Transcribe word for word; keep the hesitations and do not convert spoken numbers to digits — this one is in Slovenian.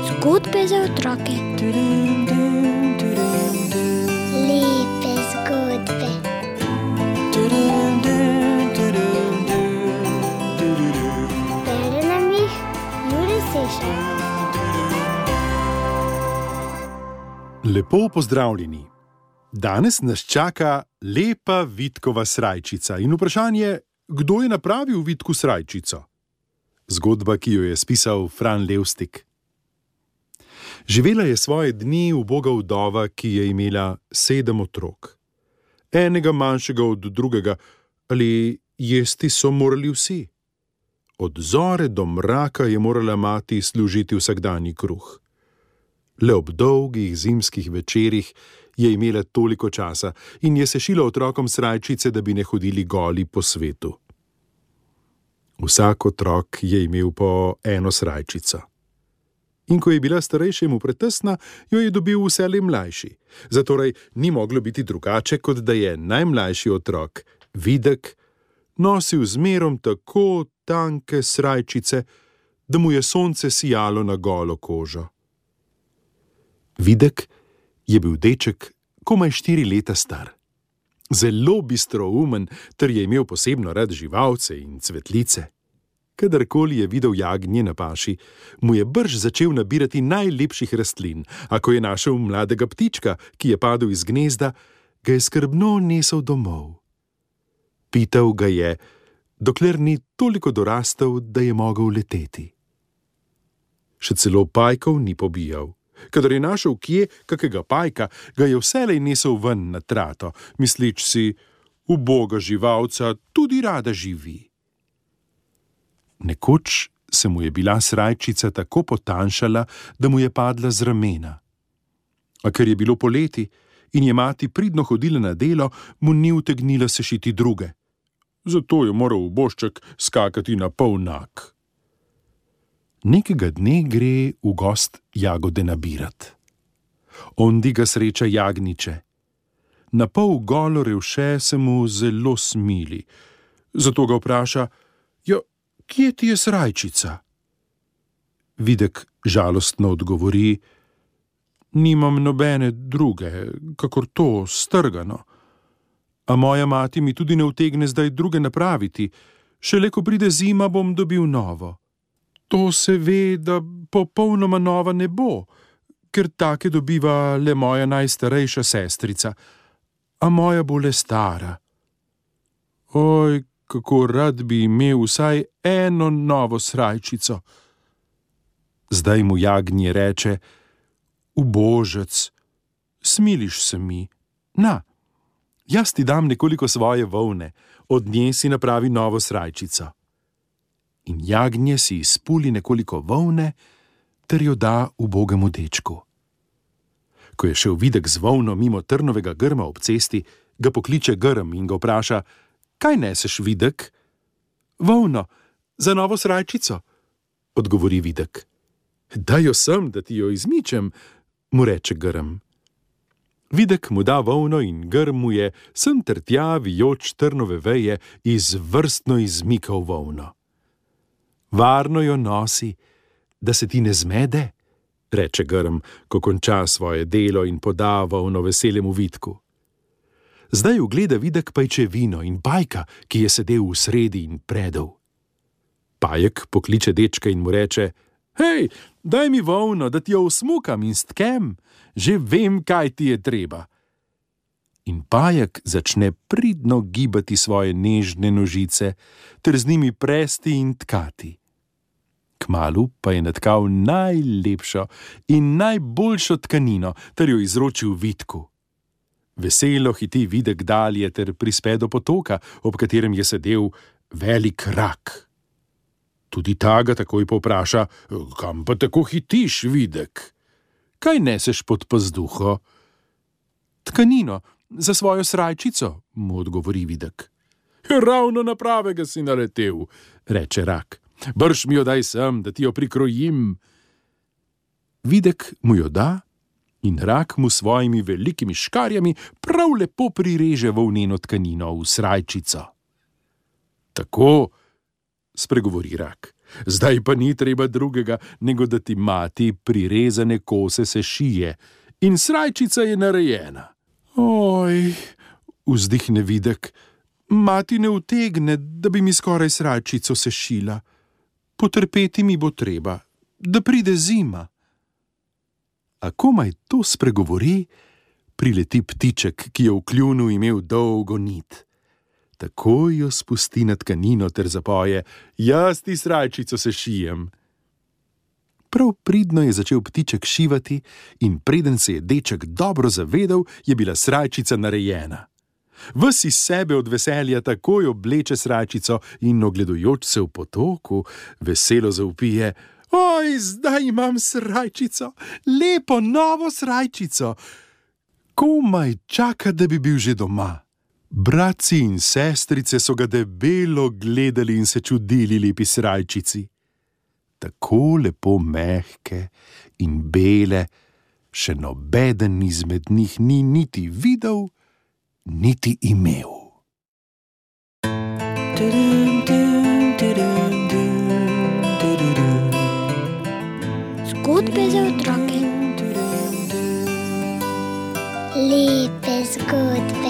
Zgodbe za otroke. Lepe zgodbe. Bere nam jih Jure Sešar. Lepo pozdravljeni. Danes nas čaka lepa Vidkova srajčica in vprašanje, kdo je napravil Vidku srajčico? Zgodba, ki jo je spisal Fran Levstik. Živela je svoje dni uboga vdova, ki je imela sedem otrok. Enega manjšega od drugega, ali jesti so morali vsi. Od zore do mraka je morala mati služiti vsakdanji kruh. Le ob dolgih zimskih večerih je imela toliko časa in je sešila otrokom srajčice, da bi ne hodili goli po svetu. Vsak otrok je imel po eno srajčico. In ko je bila starejšemu pretesna, jo je dobil vselej mlajši. Zatorej ni moglo biti drugače, kot da je najmlajši otrok, Videk, nosil zmerom tako tanke srajčice, da mu je sonce sijalo na golo kožo. Videk je bil deček komaj štiri leta star. Zelo bistroumen, ter je imel posebno rad živalce in cvetlice. Kadarkoli je videl jagnje na paši, mu je brž začel nabirati najlepših rastlin, a ko je našel mladega ptička, ki je padel iz gnezda, ga je skrbno nesel domov. Pital ga je, dokler ni toliko dorastel, da je mogel leteti. Še celo pajkov ni pobijal. Kadar je našel kje kakega pajka, ga je vselej nesel ven na trato, mislič si, uboga živalca tudi rada živi. Nekoč se mu je bila srajčica tako potanjšala, da mu je padla z ramena. A ker je bilo poleti in je mati pridno hodila na delo, mu ni utegnila sešiti druge. Zato je moral ubožček skakati na pol nag. Nekega dne gre v gost jagode nabirat. Ondi ga sreča jagnjiče. Na pol golo revše se mu zelo smili. Zato ga vpraša, jo, kje ti je srajčica? Videk žalostno odgovori, nimam nobene druge, kakor to strgano. A moja mati mi tudi ne utegne zdaj druge napraviti, šele ko pride zima, bom dobil novo. To se ve, da popolnoma nova ne bo, ker take dobiva le moja najstarejša sestrica, a moja bo le stara. Oj, kako rad bi imel vsaj eno novo srajčico. Zdaj mu jagnje reče, ubožec, smiliš se mi, na, jaz ti dam nekoliko svoje volne, od nje si napravi novo srajčico. In jagnje si izpuli nekoliko volne, ter jo da ubogemu dečku. Ko je šel Videk z volno mimo trnovega grma ob cesti, ga pokliče grm in ga vpraša, kaj neseš, Videk? Volno, za novo srajčico, odgovori Videk. Daj jo sem, da ti jo izmičem, mu reče grm. Videk mu da volno in grm mu je sem ter tja vijoč trnove veje izvrstno izmikal volno. Varno jo nosi, da se ti ne zmede, reče grm, ko konča svoje delo in poda volno veselemu Vidku. Zdaj ugleda Videk pajčevino in pajka, ki je sedel v sredi in predel. Pajek pokliče dečka in mu reče, hej, daj mi volno, da ti jo usmukam in stkem, že vem, kaj ti je treba. In pajek začne pridno gibati svoje nežne nožice, ter z njimi presti in tkati. Kmalu pa je natkal najlepšo in najboljšo tkanino, ter jo izročil Vidku. Veselo hiti Videk dalje ter prispe do potoka, ob katerem je sedel velik rak. Tudi ta ga takoj povpraša, kam pa tako hitiš, Videk? Kaj neseš pod pazduho? Tkanino, za svojo srajčico, mu odgovori Videk. Ravno na pravega si naletel, reče rak. Brž mi jo daj sem, da ti jo prikrojim. Videk mu jo da in rak mu svojimi velikimi škarjami prav lepo prireže volneno tkanino v srajčico. Tako, spregovori rak. Zdaj pa ni treba drugega, nego da ti mati prirezane kose se šije in srajčica je narejena. Oj, vzdihne Videk, mati ne utegne, da bi mi skoraj srajčico sešila. Potrpeti mi bo treba, da pride zima. A komaj to spregovori, prileti ptiček, ki je v kljunu imel dolgo nit. Takoj jo spusti na tkanino ter zapoje: jaz ti srajčico sešijem. Prav pridno je začel ptiček šivati in preden se je deček dobro zavedel, je bila srajčica narejena. Ves iz sebe od veselja takoj obleče srajčico in ogledujoč se v potoku, veselo zavpije: oj, zdaj imam srajčico, lepo novo srajčico. Komaj čaka, da bi bil že doma. Bratci in sestrice so ga debelo gledali in se čudili lepi srajčici. Tako lepo mehke in bele, še nobeden izmed njih ni niti videl, niti imel. Zgodbe za otroke. Lepe zgodbe.